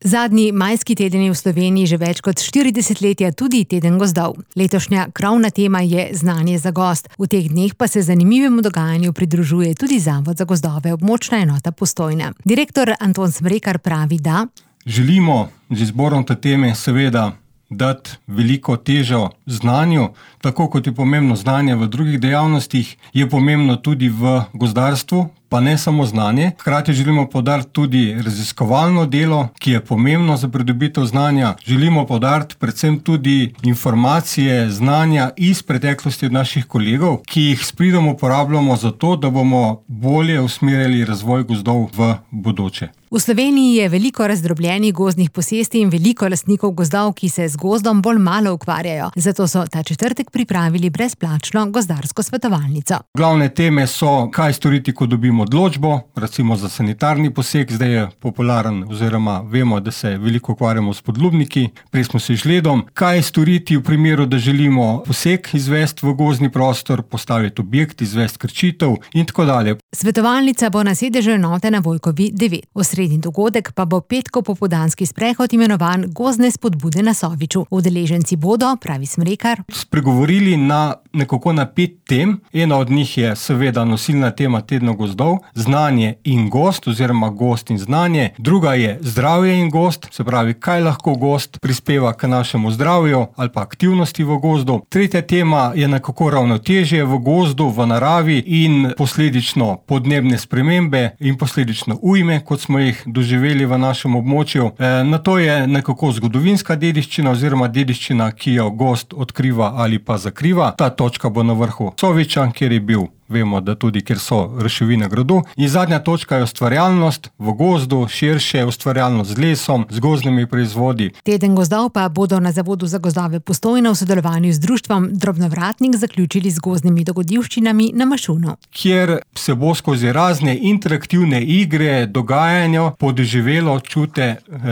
Zadnji majski teden je v Sloveniji že več kot 40 letja tudi teden gozdov. Letošnja krovna tema je znanje za gozd. V teh dneh pa se zanimivemu dogajanju pridružuje tudi Zavod za gozdove območna enota Postojna. Direktor Anton Smrekar pravi, da želimo z izborom te teme seveda dati veliko težo znanju, tako kot je pomembno znanje v drugih dejavnostih, je pomembno tudi v gozdarstvu, pa ne samo znanje. Hkrati želimo poudariti tudi raziskovalno delo, ki je pomembno za pridobitev znanja. Želimo poudariti predvsem tudi informacije, znanja iz preteklosti od naših kolegov, ki jih s pridom uporabljamo za to, da bomo bolje usmerjali razvoj gozdov v bodoče. V Sloveniji je veliko razdrobljenih gozdnih posesti in veliko lastnikov gozdov, ki se z gozdom bolj malo ukvarjajo. Zato so ta četrtek pripravili brezplačno gozdarsko svetovalnico. Glavne teme so, kaj storiti, ko dobimo odločbo, recimo za sanitarni poseg, zdaj je popularen oziroma vemo, da se veliko ukvarjamo s podlubniki, prej smo se žledom, kaj storiti v primeru, da želimo poseg izvesti v gozdni prostor, postaviti objekt, izvesti krčitev in tako dalje. Svetovalnica bo na sedežu enote na Vojkovi 9. Osrednji dogodek pa bo petkov popoldanski sprehod imenovan Gozdne spodbude na Soviču. Udeleženci bodo, pravi Smrekar, spregovorili na 5 tem. Ena od njih je seveda nosilna tema tedna gozdov, znanje in gozd oziroma gozd in znanje. Druga je zdravje in gozd, se pravi, kaj lahko gozd prispeva k našemu zdravju ali pa aktivnosti v gozdu. Tretja tema je nekako ravnotežje v gozdu, v naravi in posledično podnebne spremembe in posledično ujme, kot smo jih doživeli v našem območju. Nato je nekako zgodovinska dediščina oziroma dediščina, ki jo gozd odkriva ali pa zakriva. Ta točka bo na vrhu Soviča, kjer je bil, vemo, da tudi, kjer so ruševine gradu. In zadnja točka je ustvarjalnost v gozdu, širše ustvarjalnost z lesom, z gozdnimi proizvodi. Teden gozdov pa bodo na Zavodu za gozdove Postojna v sodelovanju z društvom Drobnovratnik zaključili z gozdnimi dogodivščinami na Mašunu. Kjer se bo skozi razne interaktivne igre, dogajanja podoživelo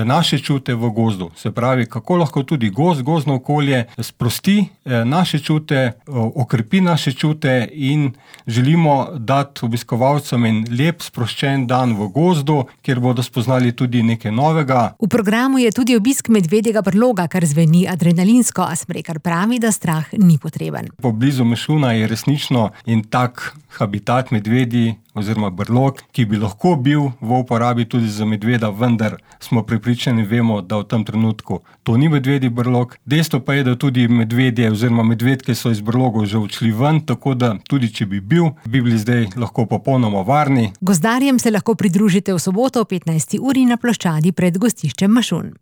naše čute v gozdu. Se pravi, kako lahko tudi gozdno okolje sprosti naše čute, okrepi naše čute in želimo dati obiskovalcem en lep, sproščen dan v gozdu, kjer bodo spoznali tudi nekaj novega. V programu je tudi obisk medvedjega brloga, kar zveni adrenalinsko, a Smrekar pravi, da strah ni potreben. Poblizu Mašuna je resnično en tak habitat medvedji oziroma brlog, ki bi lahko bil v uporabi tudi za medveda, vendar smo prepričani, vemo, da v tem trenutku to ni medvedji brlog. Dejstvo pa je, da tudi medvedje oziroma medvedke so iz brlogov že odšli ven, tako da tudi če bi bili zdaj lahko popolnoma varni. Gozdarjem se lahko pridružite v soboto o 15. uri na ploščadi pred gostiščem Mašun.